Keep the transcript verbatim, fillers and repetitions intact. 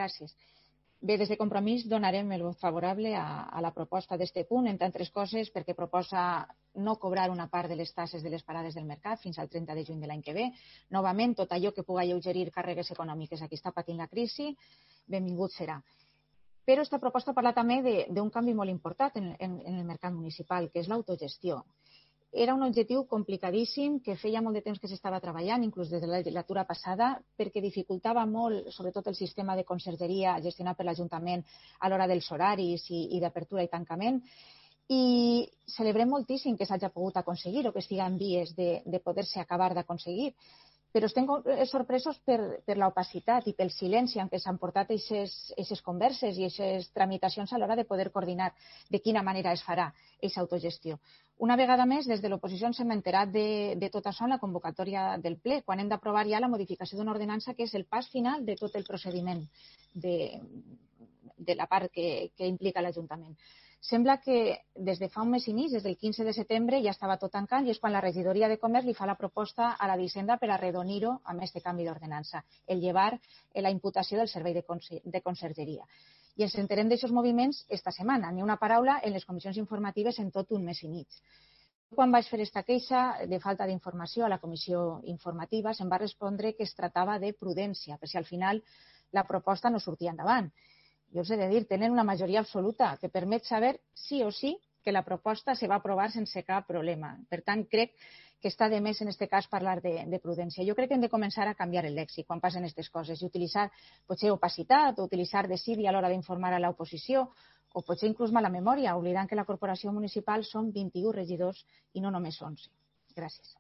Gràcies. Bé, des de Compromís donarem el vot favorable a, a la proposta d'este punt, entre altres coses perquè proposa no cobrar una part de les taxes de les parades del mercat fins al trenta de juny de l'any que ve. Novament, tot allò que pugui alleugerir càrregues econòmiques a qui està patint la crisi, benvingut serà. Però aquesta proposta parla també d'un canvi molt important en, en, en el mercat municipal, que és l'autogestió. Era un objectiu complicadíssim que feia molt de temps que s'estava treballant, inclús des de la legislatura passada, perquè dificultava molt, sobretot el sistema de consergeria gestionat per l'Ajuntament a l'hora dels horaris i, i d'apertura i tancament. I celebrem moltíssim que s'hagi pogut aconseguir o que estigui en vies de, de poder-se acabar d'aconseguir. Però estem sorpresos per, per l'opacitat i pel silenci en què s'han portat aquestes converses i aquestes tramitacions a l'hora de poder coordinar de quina manera es farà aquesta autogestió. Una vegada més, des de l'oposició ens hem enterat de, de tot això en la convocatòria del ple, quan hem d'aprovar ja la modificació d'una ordenança que és el pas final de tot el procediment de, de la part que, que implica l'Ajuntament. Sembla que des de fa un mes i mig, des del quinze de setembre, ja estava tot tancant i és quan la regidoria de Comerç li fa la proposta a la d'Hisenda per arredonir-ho amb aquest canvi d'ordenança, el llevar la imputació del servei de, de consergeria. I ens enterem d'aixòs moviments esta setmana, ni una paraula en les comissions informatives en tot un mes i mig. Quan vaig fer aquesta queixa de falta d'informació a la comissió informativa, se'm va respondre que es tractava de prudència, per si al final la proposta no sortia endavant. Jo us he de dir, tenen una majoria absoluta que permet saber sí o sí que la proposta se va aprovar sense cap problema. Per tant, crec que està de més en aquest cas parlar de, de prudència. Jo crec que hem de començar a canviar el lèxic quan passen aquestes coses i utilitzar potser opacitat o utilitzar desídia a l'hora d'informar a l'oposició o potser inclús mala memòria, oblidant que la corporació municipal són vint-i-u regidors i no només onze. Gràcies.